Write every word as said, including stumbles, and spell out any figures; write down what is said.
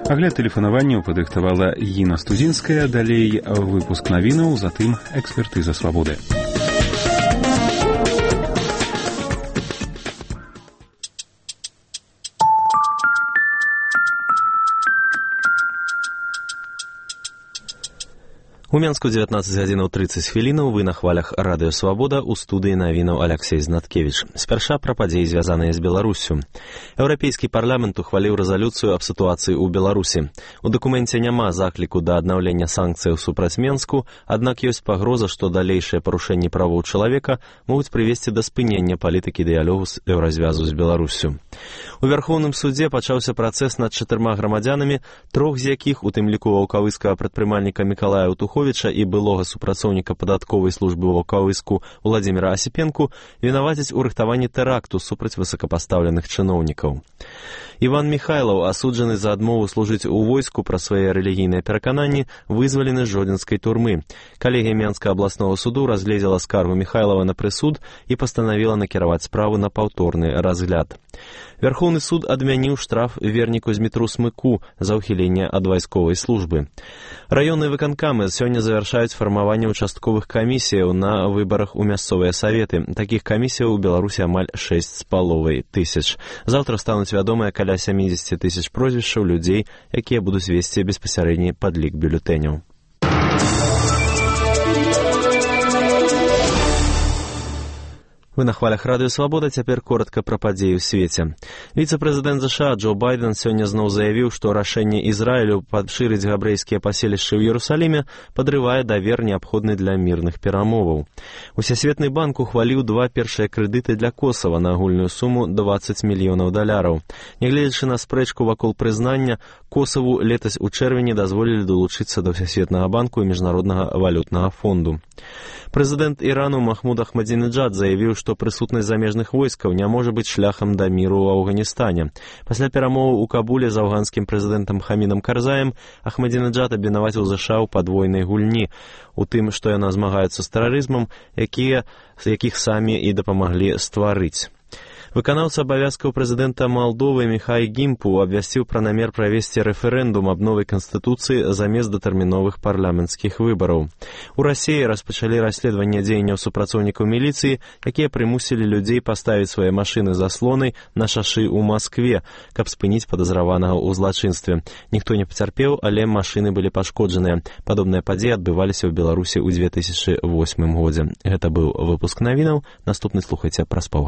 Агляд тэлефанаванняў падрыхтавала Іна Студзінская, далей выпуск навінаў, затым экспертыза свабоды. У Менску дзевятнаццаць гадзінаў трыццаць хвілінаў, вы на хвалях радыё «Свабода», у студыі навінаў Аляксей Знаткевіч. Спярша пра падзеі, звязаныя з Беларуссю. Еўрапейскі парламент ухваліў рэзалюцыю аб сітуацыі ў Беларусі. У дакуменце няма закліку да аднаўлення санкцыяў супраць Менску, аднак ёсць пагроза, што далейшыя парушэнні правоў чалавека могуць прывесці да спынення палітыкі дыялогу з еўразвязу з Беларуссю. У Вярхоўным судзе пачаўся працэс над чатырма грамадзянамі, трох з якіх, у тым ліку ваўкавыскага прадпрымальніка Мікалая Утуховіча і былога супрацоўніка падатковай службы ваўкавыску Уладзіміра Асіпенку, вінавацяць у рыхтаванні тэракту супраць высокапастаўленых чыноўнікаў. Іван Міхайлаў, асуджаны за адмову служыць у войску пра свае рэлігійныя перакананні, вызвалены з жодзінскай турмы. Калегія Менскага абласнога суду разгледзела скаргу Міхайлава на прысуд і пастанавіла накіраваць справу на паўторны разгляд. Вярхоўны суд адмяніў штраф верніку Змітру Смыку за ўхіленне ад вайсковай службы. Раённыя выканкамы сёння завяршаюць фармаванне участковых камісіяў на выбарах у мясцовыя саветы. Такіх камісіяў у Беларусі амаль шэсць з паловай тысяч. Заўтра стануць вядомыя каля сямдзесят тысяч прозвішчаў людзей, якія будуць весці беспасярэдні падлік бюлетэняў. Вы на хвалях радыё «Свабода», цяпер коротка пра падзеі ў свеце. Віцэ-прэзідэнт ЗША Джо Байден сёння зноў заявіў, што рашэнне Ізраілю падшырыць габрэйскія паселішчы ў Іерусаліме падрывае давер, неабходны для мірных перамоваў. Усесветны банк ухваліў два першыя крэдыты для Косава на агульную суму дваццаць мільёнаў даляраў. Нягледзячы на спрэчку вакол прызнання, Косаву летась у чэрвені дазволілі далучыцца да Всесветнага банку і Міжнароднага валютнага фонду. Прэзідэнт Ірану Махмуд Ахмадзінеджад заявіў, што прысутнасць замежных войскаў не можа быць шляхам да міру ў Афганістане. Пасля перамоваў у Кабуле з афганскім прэзідэнтам Хамідам Карзаем Ахмадзінеджад абвінаваціў ЗША ў падвойнай гульні, у тым, што яна змагаецца з тэрарызмам, якія, якіх самі і дапамаглі стварыць. Выканаўца абавязкаў прэзідэнта Малдовы Міхай Гімпу абвясціў пра намер правесці рэферэндум аб новай канстытуцыі замест датэрміновых парламенцкіх выбараў. У Расіі распачалі расследаванне дзеянняў супрацоўнікаў міліцыі, якія прымусілі людзей паставіць свае машыны заслонай на шашы ў Маскве, каб спыніць падазраванага ў злачынстве. Ніхто не пацярпеў, але машыны былі пашкоджаныя. Падобныя падзеі адбываліся ў Беларусі ў две тысячы восьмым годзе. Гэта быў выпуск навінаў. Наступны слухайце праз паўгадзіны.